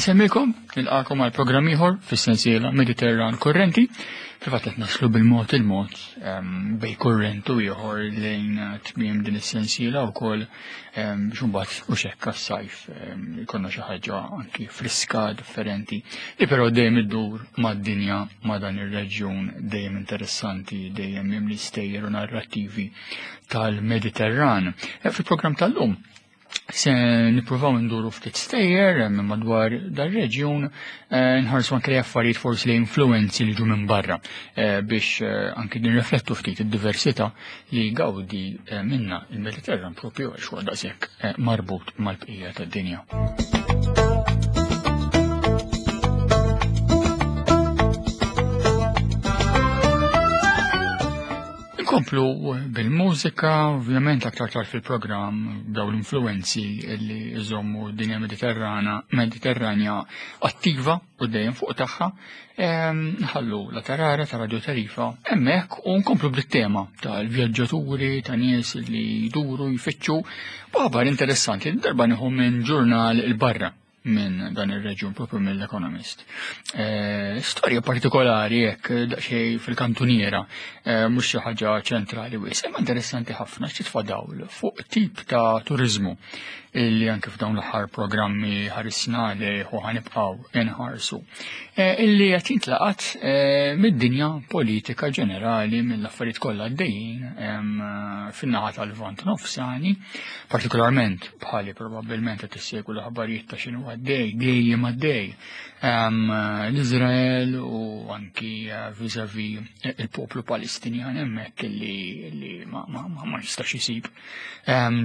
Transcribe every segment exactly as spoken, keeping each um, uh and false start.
Insemmilkom, nilqakom għal programm ieħor fis-sensiela Mediterran Kurrenti. Fil-fatt qed naslu bil-mod il-mod bej kurrent u ieħor lejn tmiem din is-sensiela wkoll biex imbagħad u xekk għas-sajf ikollna xi ħaġa anki friska differenti li però dejjem iddur mad-dinja ma' dan ir-reġjun dejjem interessanti, dejjem mimli stejjer u narrattivi tal-Mediterran. Fil-programm tal-lum se nippruvaw nduru ftit stejjer minn madwar dar-reġjun, nħarsu anke li affarijiet forsi li influenzi li ġu minn barra biex anki nirriflettu ftit id-diversità li gawdi minna il-Mediterran propju għax huwa daqshekk marbut mal-bqija tad-dinja. Nkomplu bil-mużika, ovvjament aktar tard fil-programm daw l-influenzi li jżommu d-dinja Mediterrana, Mediterranja attiva u dejjem fuq tagħha, nħallu la tarara ta' Radio Tarifa hemmhekk u nkomplu bit-tema tal-vjaġġaturi, ta' nies li jduru jfittxu b'aħbar interessanti li darba nieħu minn ġurnal il-barra minn dan ir-reġjun propju mill-Economist. E, storja partikolari hekk daqsxejn fil-kantuniera, e, mhux xi ħaġa ċentrali wis, imma interessanti ħafna x'titfa' dawl fuq tip ta' turiżmu illi anke f'dawn l-aħħar programmi ħarisna lejh u ħanibqgħu inħarsu. E, illi qed jintlaqat e, mid-dinja politika ġenerali mill-affarijiet kollha għaddejjin fin-naħa tal-Lvant Nofsani, partikolarment bħali probabbilment qed issegwu l-aħbarijiet ta' x'inhu għaddej, dejjem għaddej l-Iżrael u anki vis-a-vis il-poplu Palestinjan hemmhekk illi, illi ma, ma, ma, ma jistax isib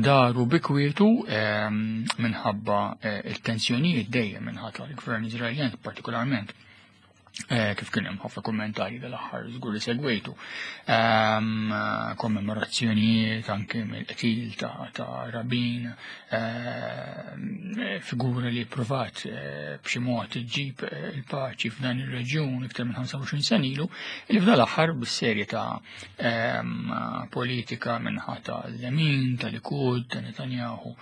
daru bikwietu minħabba il-tensjonijiet dejjem minħabba l-gvern Iżraeljan partikolarment. Kif kien hemm ħafna kummentarji dal-aħħar żgur li segwejtu. Kommemorazzjonijiet anke mill-qtil ta', ta' Rabin, figura li provat b'xi mod iġġib il-paċi f'dan ir-reġjun iktar minn ħamsa u għoxrin sena ilu, li f'dan l-aħħar bis-serje ta' politika minħa tal-Lemin, tal-Likud, ta' Netanyahu,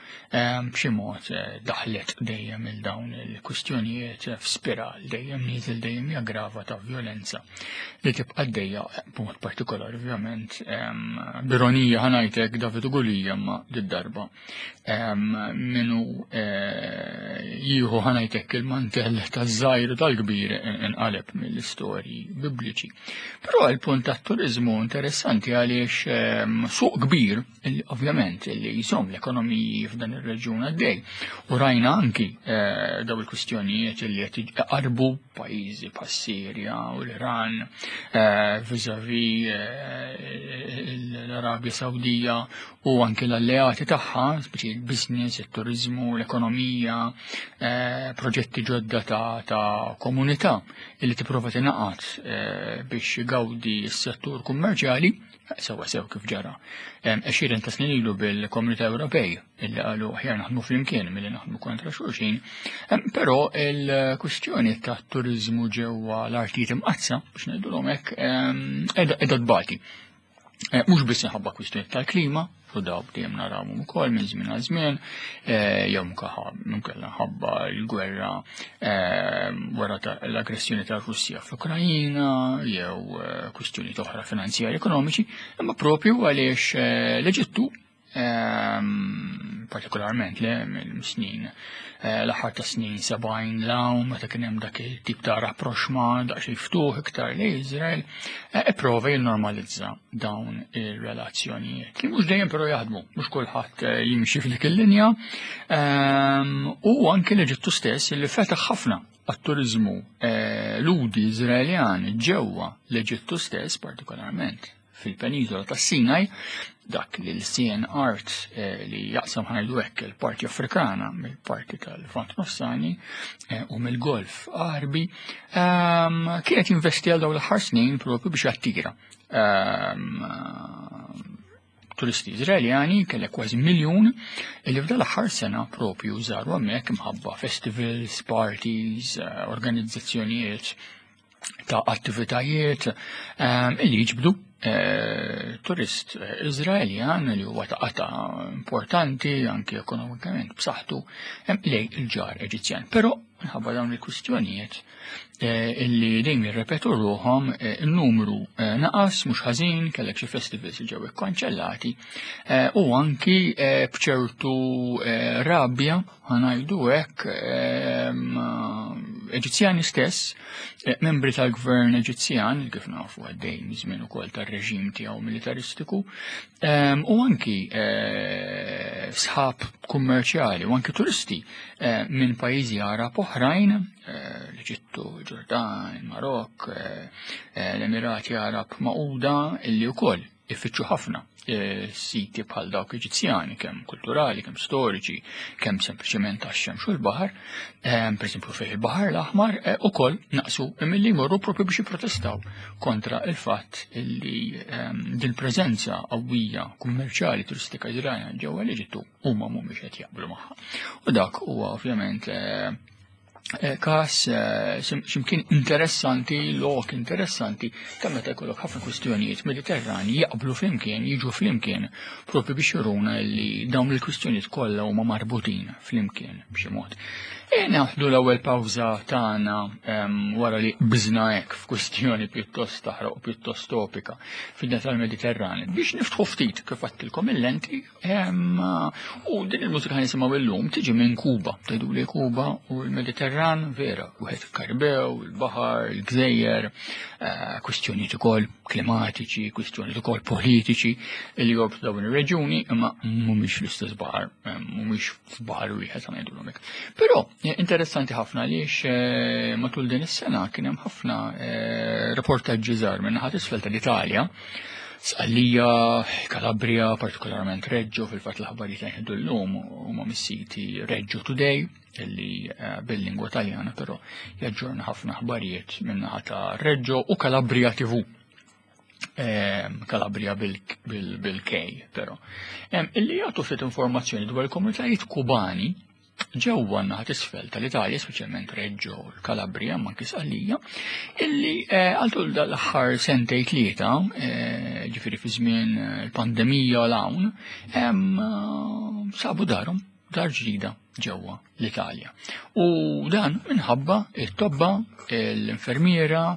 b'xi mod daħlet dejjem il dawn il-kwistjonijiet f'spiral dejjem nieżel dejjem jaggrava ta' violenza li tibqa' għaddejja b'mod partikolari ovvjament b'ironija ħanajtek David u Gulija ma did-darba minu jieħu ħanajtek il-mantell taż-żgħir u tal-kbir inqaleb mill-istorji bibliċi. Però il-punt tat-turiżmu interessanti għaliex suq kbir ovvjament li jżomm l-ekonomiji f'dan ir-reġjun għaddej. U rajna anki daw il-kwistjonijiet li qed iqarbu pajjiżi bħas-Sirja u l-Iran, vis-a-vis l-Arabja Sawdija u anki l-alleati tagħha, speċi il-business, it-turizmu, l-ekonomija, proġetti ġodda ta', ta' komunità illi tipprova tingħaqad biex jgawdi s-settur kummerċjali, sewa sew kif ġara. Għexieren ta' snin ilu bil-Komunità Ewropej illi qalu aħjar naħdmu flimkien milli naħdmu kontra xulxin, però il-kwistjoni ta' turiżmu ġewwa l-artijiet imqaddsa biex ngħidulhom hekk qiegħda tbati. Mhux biss minħabba kwistjoni tal-klima, u daw dejjem narawhom ukoll minn żmien għal żmien, jew inkella ħabba l-gwerra wara l-aggressjoni tar-Russja fl-Ukrajina, jew kwistjoni oħra finanzjarji ekonomiċi, imma propju għaliex l-Eġittu partikolarment le mill-snin l-aħħar ta' snin sebgħin l-hawn meta kien hemm dak il-tip ta' rapproxma daqsxejn ftuħ iktar lejn Iżrael, ipprova jinnormalizza dawn ir-relazzjonijiet li mhux dejjem però jaħdmu, mhux kulħadd jimxi f'dik il-linja, u anke l-Eġittu stess li fetaħ ħafna għat-turiżmu ludi Iżraeljan ġewwa l-Eġittu stess partikolarment fil-peniżola tas-Sinaj, dak li l-sien art li jaqsam ħajdu hekk il-parti Afrikana mill-parti tal-Lvant Nofsani u mill-Golf Għarbi, kienet jinvesti għal dawn l-aħħar snin propju biex jattira turisti Iżraeljani, kellek kważi miljun, li f'dan l-aħħar sena propju żaru hemmhekk imħabba festivals, parties, organizzazzjonijiet ta' attivitajiet illi jiġbdu turist Iżraeljan li huwa ta' qata importanti anki ekonomikament b'saħħtu lejn il-ġar Eġizzjan. Però minħabba dawn il-kwistjonijiet illi dejjem jirrepetu ruħhom, il-numru naqas mhux ħażin, kellek xi festivals li ġew ikkanċellati u anki b'ċertu rabja ħa ngħidu hekk Eġizzjani stess, membri tal-gvern Eġizzjan, kif nafu għaddej żmien ukoll tar-reġim tiegħu militaristiku, u anki sħab kummerċjali u anki turisti minn pajjiżi Arab oħrajn, l-Eġittu, Ġordan, il-Marokk, l-Emirati Arab Magħquda, illi wkoll ifittxu ħafna siti bħal dawk Eġizzjani, kemm kulturali, kemm storiċi, kemm sempliċement għax-xemx u l-baħar, pereżempju fih il-Baħar l-Aħmar, ukoll naqsu milli jmorru propju biex jipprotestaw kontra il-fatt illi din preżenza qawwija kummerċjali turistika Iżraeljan ġewwa l-Eġittu huma mhumiex qed jaqblu magħha. U dak huwa ovvjament każ x'imkien interessanti, lok interessanti, ta' meta jkollok ħafna kwistjonijiet Mediterrani jaqblu flimkien, jiġu flimkien, propju biex juruna li dawn il-kwistjonijiet kollha huma marbutin flimkien b'xi mod. E naħdu l-ewwel pawża tagħna wara li biżna hekk f'kwistjoni pjuttost taħraq u pjuttost topika fid-dinja tal-Mediterran biex niftħu ftit kif għattilkom il-lenti, u din il-mużika ħa nisimgħu illum tiġi minn Kuba. Tgħidu li Kuba u l-Mediterran vera, wieħed il-Karibew, il-baħar, il-gżejjer, kwistjonijiet ukoll klimatiċi, kwistjonijiet ukoll politiċi li jorbtu dawn ir-reġjuni, imma mhumiex l-istess baħar, mhumiex f'baħar wieħed ħa ngħidulhom hekk. Però interessanti ħafna għaliex matul din is-sena kien hemm ħafna reportaġġi żgħar minn naħa t'isfel tal-Italja, Sqallija, Calabria, partikolarment Reggio, fil-fatt l-aħbarijiet li nħeddu llum huma mis-siti Reggio Today, illi bil-lingwa Taljana però jaġġorna ħafna aħbarijiet minn naħa ta' Reggio u Calabria T V. Calabria bil-K però. Illi jagħtu ftit informazzjoni dwar il-komunitajiet Kubani ġewwa naħa t'isfel tal-Italja, speċjalment Reggio, l-Calabria, ma anki Sqallija, illi għal tul l-aħħar sentej tlieta, ġifieri fi żmien il-pandemija l hawn, sabu darhom, dar ġdida ġewwa l-Italja. U dan minħabba it-tobba, l-infermiera,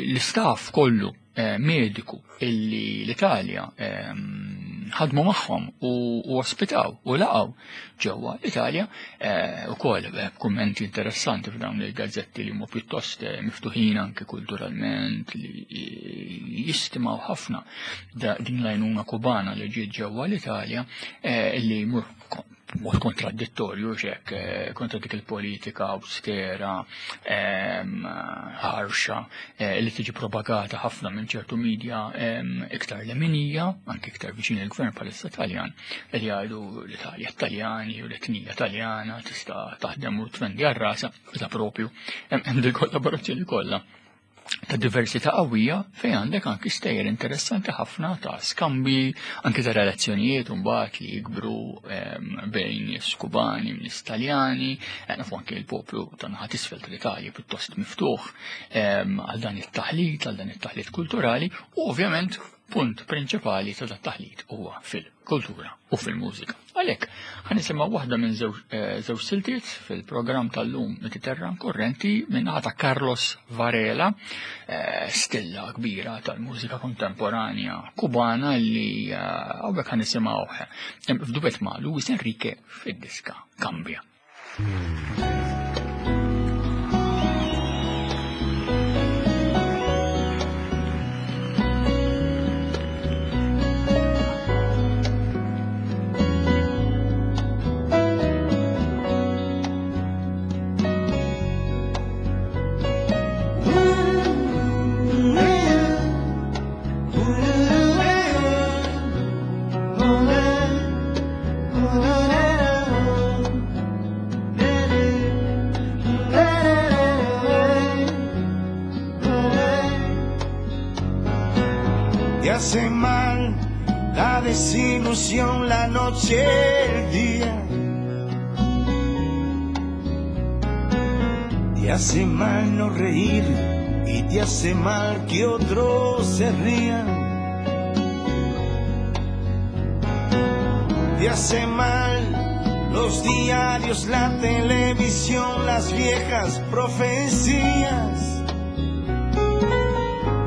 l-istaff kollu mediku illi l-Italja ħadmu magħhom u ospitaw u laqgħu ġewwa l-Italja, ukoll kummenti interessanti f'dawn il-gazzetti li huma pjuttost miftuħin anke kulturalment, li jistimaw ħafna din l-għajnuna Kubana li ġiet ġewwa l-Italja, li jmur mod kontradittorju xek kontra dik il-politika austera, ħarxa, li tiġi propagata ħafna minn ċertu media iktar leminija, anke iktar viċin il-gvern bħalissa Taljan, li jgħidu l-Italja Taljani u l-etnija Taljana tista' taħdem u tvendi għar-rasa, meta propju hemm dil kollaborazzjoni kollha ta' diversità qawwija fejn għandek anki stejjer interessanti ħafna ta' skambi, anki ta' relazzjonijiet mbagħad li jikbru bejn nies Kubani u nies Taljani, nafu anki l-poplu ta' naħa t'isfel tal-Italja pjuttost miftuħ għal dan it-taħlit, għal dan it-taħlit kulturali, u ovvjament punt prinċipali ta' dat taħlit huwa fil-kultura u fil-mużika. Għalhekk ħa nisimgħu waħda minn żewġ siltiet fil-programm tal-lum Mediterran Kurrenti minn naħa ta' Carlos Varela, stilla kbira tal-mużika kontemporanja Kubana li hawnhekk ħa nisimgħuh f'duet ma' Luis Enrique fid-diska Cambia. Te hace mal la desilusión, la noche, el día. Te Te hace mal no reír y te hace mal que otros se rían. Te hace mal los diarios, la televisión, las viejas profecías.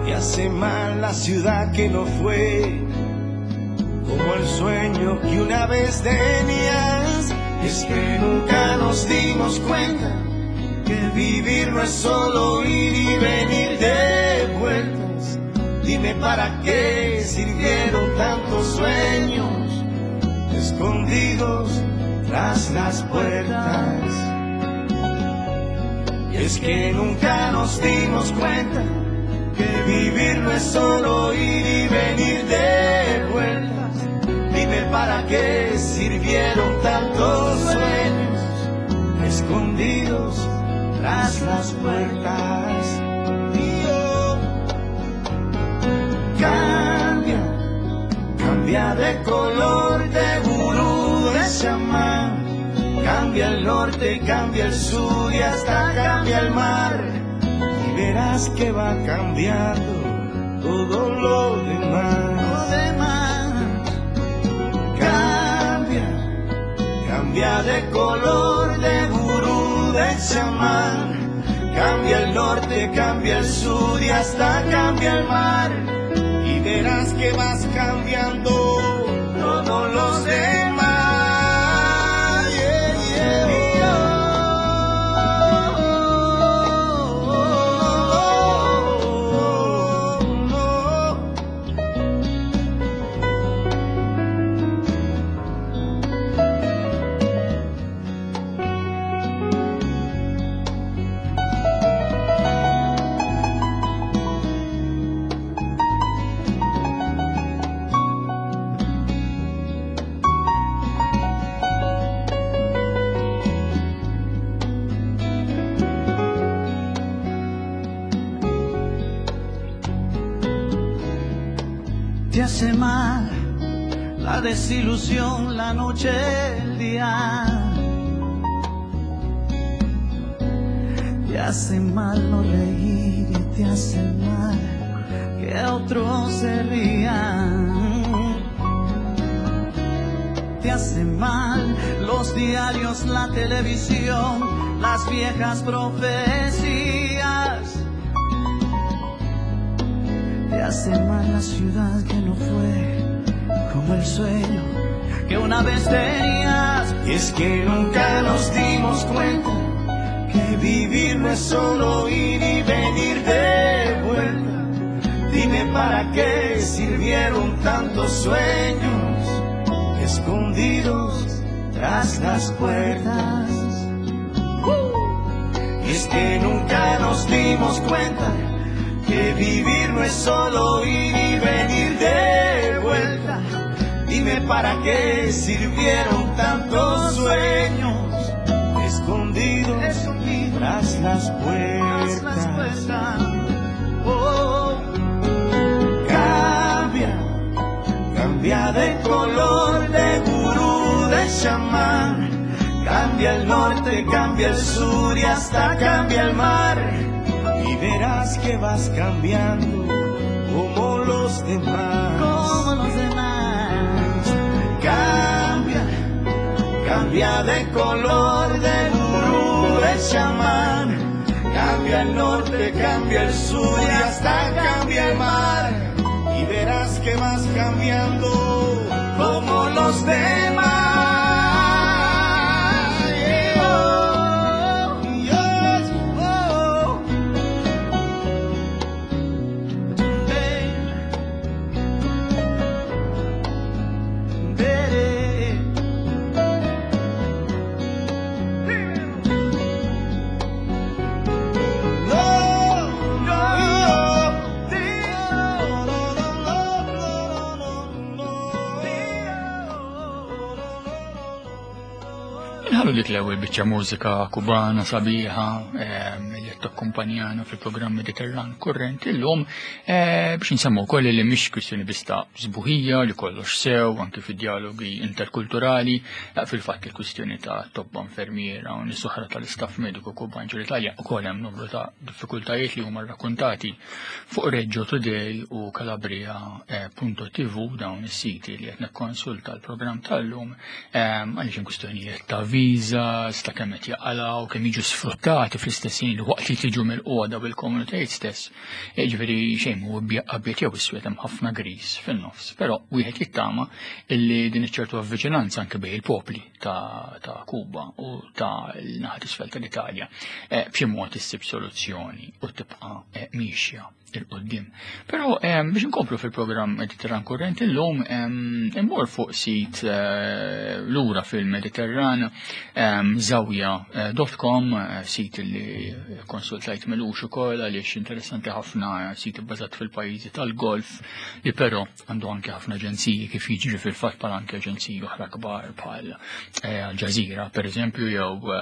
Te hace mal la ciudad que no fue como el sueño que una vez tenías. Es que nunca nos dimos cuenta que vivir no es solo ir y venir de vueltas. Dime para qué sirvieron tantos sueños escondidos tras las puertas. Y es que nunca nos dimos cuenta que vivir no es solo ir y venir de vueltas. Dime para qué sirvieron tantos sueños escondidos tras las puertas. Dios, cambia, cambia de color, de gurú, de chamán. Cambia el norte, cambia el sur y hasta cambia el mar. Y verás que va cambiando todo lo demás. Lo demás. Cambia, cambia de color, de gurú, de chamán. Cambia el norte, cambia el sur y hasta cambia el mar. Y verás que vas cambiando todos los demás. Yeah, yeah, oh, oh, oh, oh. Te hace mal la desilusión, la noche, el día. Te hace mal no reír y te hace mal que otros se rían. Te hace mal los diarios, la televisión, las viejas profecías. Te hace mal la ciudad que no fue como el sueño que una vez tenías. Y es que nunca nos dimos cuenta que vivir no es solo ir y venir de vuelta. Dime para qué sirvieron tantos sueños escondidos tras las puertas. Y es que nunca nos dimos cuenta que vivir no es solo ir y venir de vuelta. Dime para qué sirvieron tantos sueños escondidos, escondidos tras las puertas. Tras las puertas. Oh. Cambia, cambia de color, de gurú, de chamán. Cambia el norte, cambia el sur y hasta cambia el mar. Y verás que vas cambiando como los demás. Como los demás. Cambia, cambia de color, de gurú, de chamán. Cambia el norte, cambia el sur y hasta cambia el mar. Y verás que vas cambiando como los demás. Yeah. Oh, yes, oh. Baby. No, no, no, no, no, no, no, Inħallu dik l-ewwel biċċa mużika kubana sabiħa, em, li qed takkumpanjana fil-programm Mediterran Kurrent illum, eh, biex nsemmu wkoll li mhix kwistjoni biss ta' sbuħija li kollox sew anke fid-dialogi interkulturali, eh, fil-fatt il-kwistjoni ta' tobba, infermiera u nies oħra tal-istaff mediku Kuban ġol-Italja ukoll hemm numru ta' diffikultajiet li huma rrakkontati fuq Reggio Today u Calabria punto T V, dawn is-siti li qed nikkonsulta l-programm tal-lum, għaliex hemm kwistjonijiet ta' viża, sta kemm qed jaqalgħu, kemm jiġu sfruttati fl-istess ħin li waqt li tiġu mill-qoda bil-komunitajiet stess. Jiġifieri xejn mhu abjad jew iswed, hemm ħafna gris fin-nofs. Però wieħed jittama illi din iċ-ċertu avviċinanza anke bejn il-popli ta', ta Kuba u ta' l-naħa t'isfel tal-Italja eh, b'xi mod issib soluzzjoni u tibqa' eh, miexja 'il quddiem. Però biex nkomplu fil-programm Mediterran Kurrent illum, immur fuq sit eh, lura fil-Mediterran, zawja punt com, eh, sit li konsultajt m'ilux ukoll għaliex interessanti ħafna, sit bbażat fil-pajjiżi tal-Golf li però għandu anke ħafna aġenziji, kif jiġri fil-fatt bħal anke aġenziji oħra kbar bħal eh, Al Jazeera per eżempju jew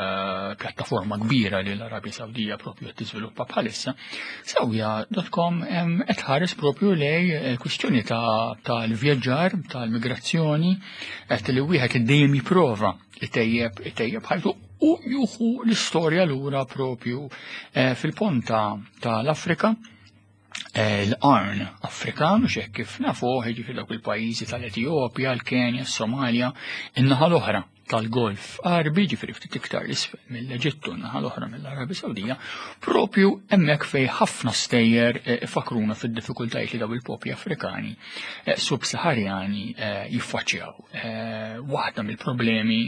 pjattaforma kbira li l-Arabja Sawdija propju qed tiżviluppa bħalissa. Zawja punt com qed ħares propju lej eh, kwistjoni tal-vjaġġar, tal-migrazzjoni, qed li wieħed dejjem jipprova itejjeb itejjeb ħajtu u juħu l-istorja lura propju eh, fil-ponta tal-Afrika, eh, l-Qarn Afrikan, u xek kif nafu, jiġifieri dawk il-pajjiżi tal-Etjopja, l-Kenja, s-Somalia, in-naħa l-oħra tal-Golf Għarbi, ġifieri ftit iktar l-isfel mill-Eġittu, naħa l-oħra mill-Arabja Sawdija, propju hemmhekk fej ħafna stejjer eh, ifakruna fid-diffikultajiet li daw il-popli Afrikani eh, sub-Saharjani eh, jiffaċċjaw. Waħda mill-problemi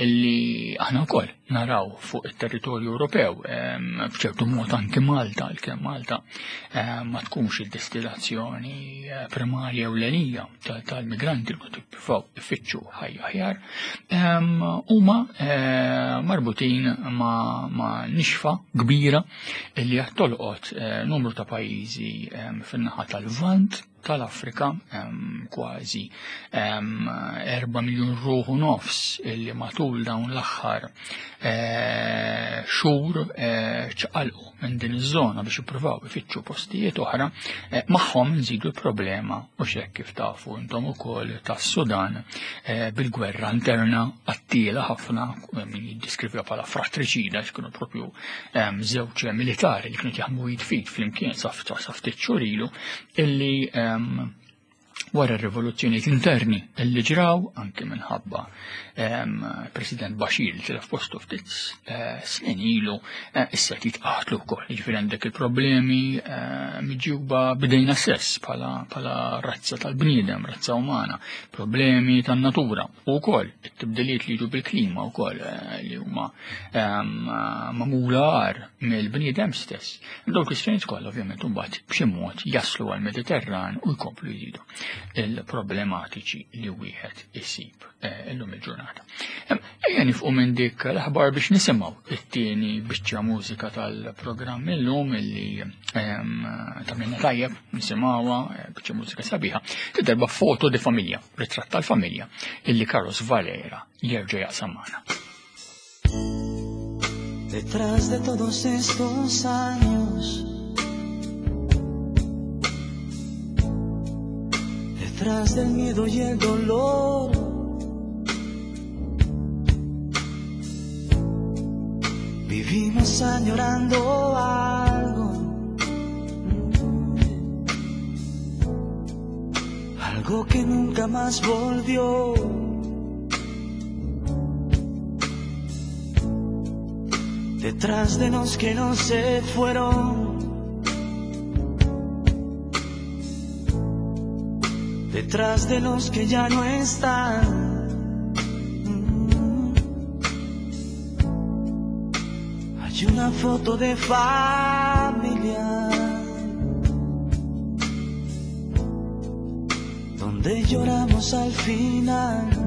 illi aħna wkoll naraw fuq it-territorju Ewropew, b'ċertu mod anke Malta, għalkemm Malta ma tkunx id-destinazzjoni primarja ewlenija tal-migranti li jippruvaw ifittxu ħajja aħjar, huma eh, marbutin ma', ma nixfa kbira li qed tolqot eh, numru ta' pajjiżi fin-naħa tal-Lvant tal-Afrika, kważi erba' miljun ruħu nofs illi matul dawn l-aħħar eh, xhur ċaqalqu minn din iż-żona biex jippruvaw ifittxu postijiet oħra, magħhom nżidu l-problema u xek kif tafu intom ukoll tas-Sudan bil-gwerra interna qattila ħafna, min jiddeskriviha bħala fratriċida, x'kienu propju żewġ militari li kienu jaħdmu id f'id flimkien sa ftit xhur ilu, illi wara r-rivoluzzjonijiet interni illi ġraw anke minħabba President Bashir li tilef postu ftit eh, snin ilu, eh, issa jitqatlu wkoll. Jiġifieri għandek il-problemi eh, miġjuba bidejna stess bħala razza tal-bniedem, razza umana, problemi tan-natura u wkoll it-tibdiliet li jiġu bil-klima wkoll li huma magħmula agħar mill-bniedem stess. Dawn kwistjonijiet kollha ovvjament imbagħad b'xi mod jaslu għall-Mediterran u jkomplu jżidu il-problematiċi li wieħed isib eh, illum il-ġurnata. Ejja nifqu minn dik l-aħbar biex nisimgħu it-tieni biċċa mużika tal-programm illum illi tagħmilna tajjeb nisimgħuha, eh, biċċa mużika sabiħa, darba Foto di Famiglia, ritratt tal-familja, illi Carlos Valera jerġa' jaqsam magħna. Detrás de todos estos años, detrás del miedo y el dolor, vivimos añorando algo, algo que nunca más volvió. Detrás de los que no se fueron, detrás de los que ya no están. Hay una foto de familia donde lloramos al final.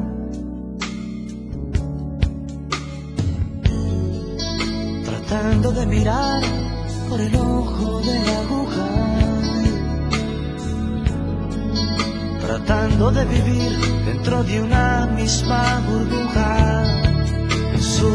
Tratando de mirar por el ojo de la aguja, tratando de vivir dentro de una misma burbuja. Soy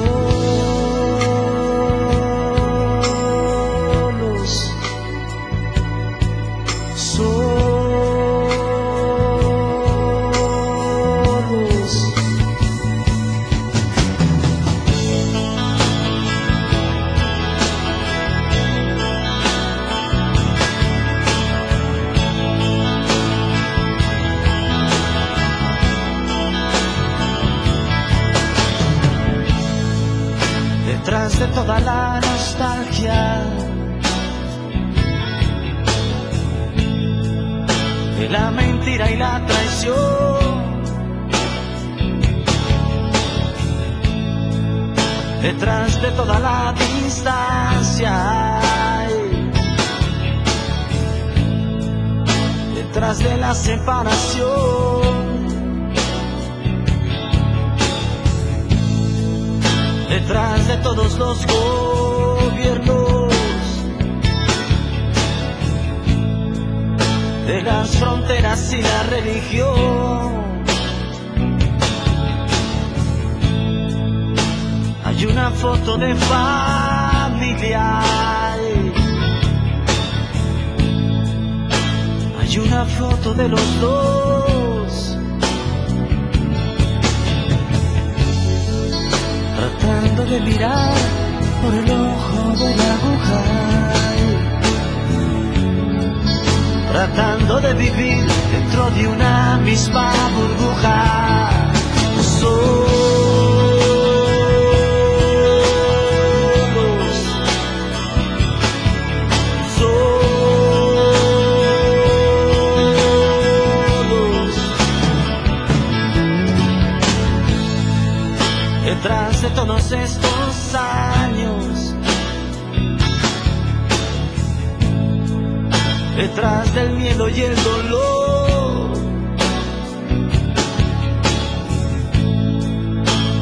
de la mentira y la traición. Detrás de toda la distancia, detrás de la separación, detrás de todos los gobiernos, de las fronteras y la religión, hay una foto de familia, hay una foto de los dos, tratando de mirar por el ojo de la aguja, tratando de vivir dentro de una misma burbuja. Solos, solos, detrás de todos estos años, detrás del miedo y el dolor,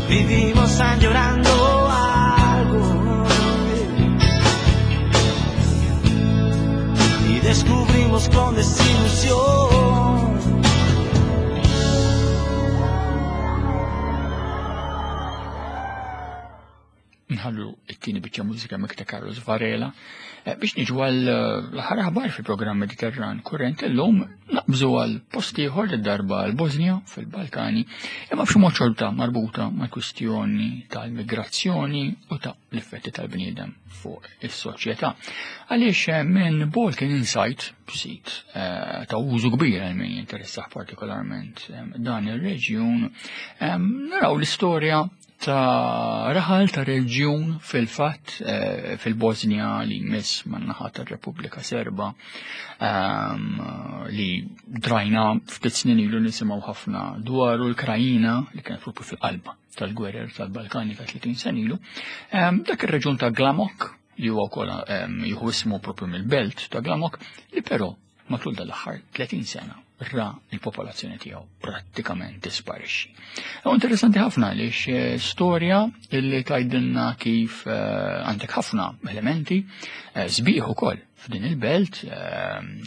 vivimos añorando algo y descubrimos con desilusión. Nħallu it-tieni biċċa mużika mikta Carlos Varela biex niġu għal l-aħħar aħbar fil-programm Mediterran Kurrent. Illum naqbżu għal post ieħor darba għal Bosnia fil-Balkani, imma b'xi mod xorta marbuta mal-kwistjoni tal-migrazzjoni u ta' l-effetti tal-bniedem fuq is-soċjetà. Għaliex minn Balkan Insight, sit ta' użu kbir għal min jinteressah partikolarment dan ir-reġjun, naraw l-istorja ta' raħal ta' reġjun fil-fatt fil-Bosnia li jmiss man-naħa tar-Repubblika Serba, li drajna ftit snin ilu nisimgħu ħafna dwaru l-Krajina li kienet propju fil-qalba tal-gwerer tal-Balkani ta' tletin sena ilu. Dak ir-reġjun ta' Glamok li huwa wkoll jieħu ismu propju mill-belt ta' Glamok, li però matul dal-aħħar tletin sena ra il-popolazzjoni tiegħu prattikament tisparixxi. U interessanti ħafna għaliex storja li tgħidilna kif għandek ħafna elementi sbieħ ukoll f'din il-belt,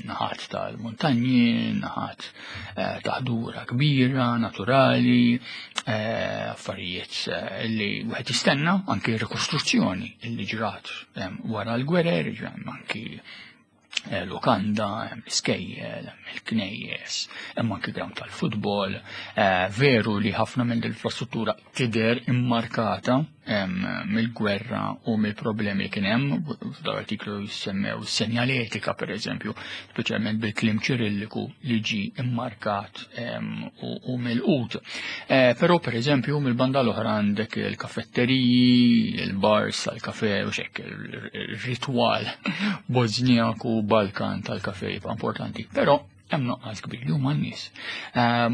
naħat tal-muntanji, naħat ta' ħdura kbira, naturali, affarijiet li wieħed jistenna, anki rikostruzzjoni li ġrat wara l-gwerer, anki lukanda, l-iskejjel, il-knejjes, hemm anki ground tal-futbol. Veru li ħafna minn l-infrastruttura tidher immarkata mill-gwerra u mill-problemi li kien hemm. F'dal-artiklu jissemmew senjaletika pereżempju, speċjalment bil-kliem Ċirilliku li ġie immarkat u mill-qut. Però pereżempju mill-banda l-oħra għandek il-kafetteriji, il-bars tal-kafe u xekk il-ritwal Bosnijaku Balkan tal-kafe jibqa' importanti. Però hemm nuqqas kbir li huma n-nies.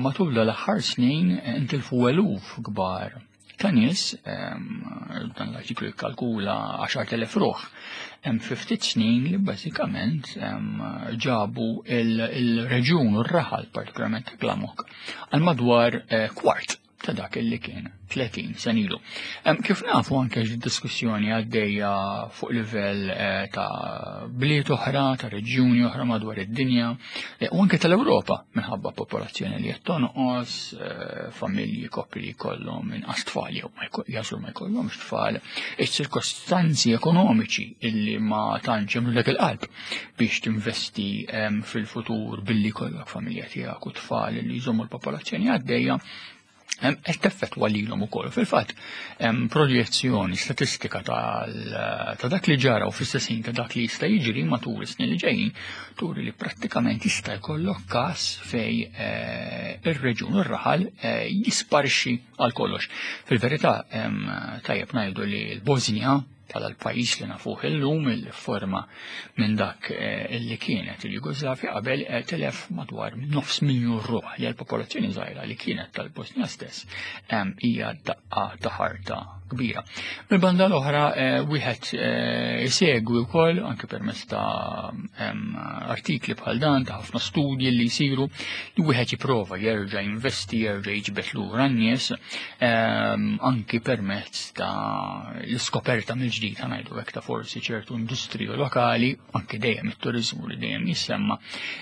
Matul l-aħħar snin intilfu eluf kbar ta' nies, dan l-artiklu jikkalkula għaxart elef ruħ, hemm fi ftit snin li bażikament ġabu il-reġjun u r-raħal partikolarment ta' Glamok għal madwar kwart ta' dak li kien tletin sena ilu. Kif nafu anke diskussjoni għaddejja fuq livell ta' bliet oħra, ta' reġjuni oħra madwar id-dinja u anke tal-Ewropa minħabba popolazzjoni li qed tonqos, familji, koppji li jkollhom inqas tfal jew jażlu ma jkollhomx tfal, iċ-ċirkostanzi ekonomiċi illi ma tantx jagħmlulek il-qalb biex tinvesti fil-futur billi jkollok familja tiegħek u tfal li jżommu l-popolazzjoni għaddejja qed teffettwa lilhom ukoll. Fil-fatt hemm projezzjoni statistika ta' dak li ġara u fl-istess ħin ta' dak li jista' jiġri matul is-snin li ġejjin turi li prattikament jista' jkollok każ fej ir-reġjun u r-raħal jisparixxi għal kollox. Fil-verità tajjeb ngħidu li l-Bosnja bħala l-pajjiż li nafuh illum il-forma minn dak li kienet il-Jugoslavja qabel telef madwar nofs miljun ruħ li l-popolazzjoni żgħira li kienet tal-Bosnia stess hija daqqa ta' ħarta kbira. Mill-banda l-oħra wieħed isegwi wkoll anke permezz ta' artikli bħal dan ta' ħafna studji li jsiru li wieħed jipprova jerġa' jinvesti, jerġa' jiġbed lura n-nies anki permezz ta' l-iskoperta mill-ġdid ngħidu hekk ta' forsi ċertu industriju lokali, anke dejjem it-turiżmu li dejjem jissemma,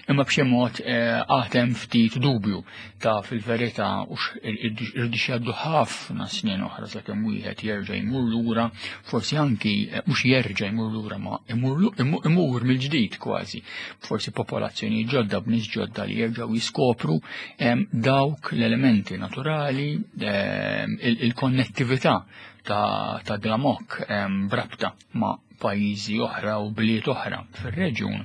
imma b'xi mod għad hemm ftit dubju ta' fil-verità u irdu jgħaddu ħafna snin oħra sakemm wieħed jerġa' jmur lura, forsi anki mhux jerġa' jmur lura ma imur mill-ġdid kważi, forsi popolazzjoni ġodda b'nies ġodda li jerġgħu jiskopru dawk l-elementi naturali, il-konnettività ta' Glamok brabta ma' pajjiżi oħra u bliet oħra fir-reġjun,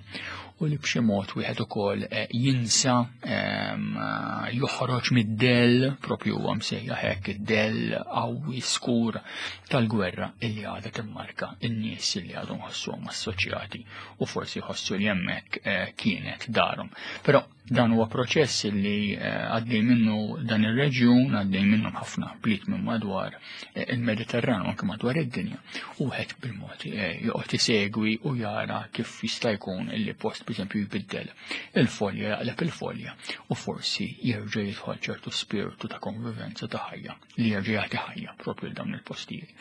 u li b'xi mod wieħed ukoll jinsa joħroġ mid-dell, propju huwa msejjaħ hekk id-dell qawwi skur tal-gwerra illi għadha timmarka n-nies illi għadhom ħossuhom assoċjati u forsi jħossu li hemmhekk kienet darhom. Però dan huwa proċess li għaddej minnu dan ir-reġjun, għaddej minnu ħafna bliet minn madwar il-Mediterran u anke madwar id-dinja, u wieħed bil-mod joqgħod isegwi u jara kif jista' jkun illi post b'eżempju jbiddel il-folja, jaqleb il-folja u forsi jerġa' jidħol ċertu spiritu ta' konvivenza ta' ħajja li jerġa' jagħti ħajja propju l dawn il-postijiet.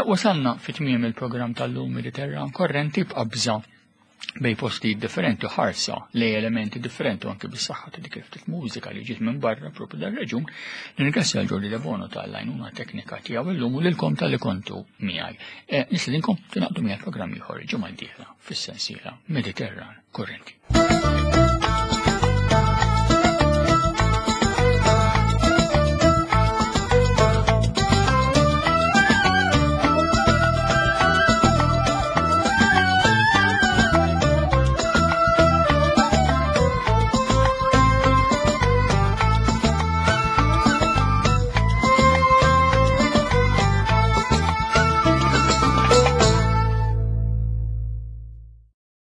Wasalna fi tmiem il-programm tal-lum Mediterran Korrenti b'qabża bej postijiet differenti, ħarsa lej elementi differenti u anke bis-saħħa ta' dik il-ftit mużika li ġiet minn barra propju dar-reġjun. Nirringrazzja l Ġordi Debono tal-għajnuna teknika tiegħu illum u lilkom talli kontu miegħi. Nistedinkom tingħaqdu miegħi programm ieħor il-ġimgħa d-dieħla fis-sensiela Mediterran Korrenti.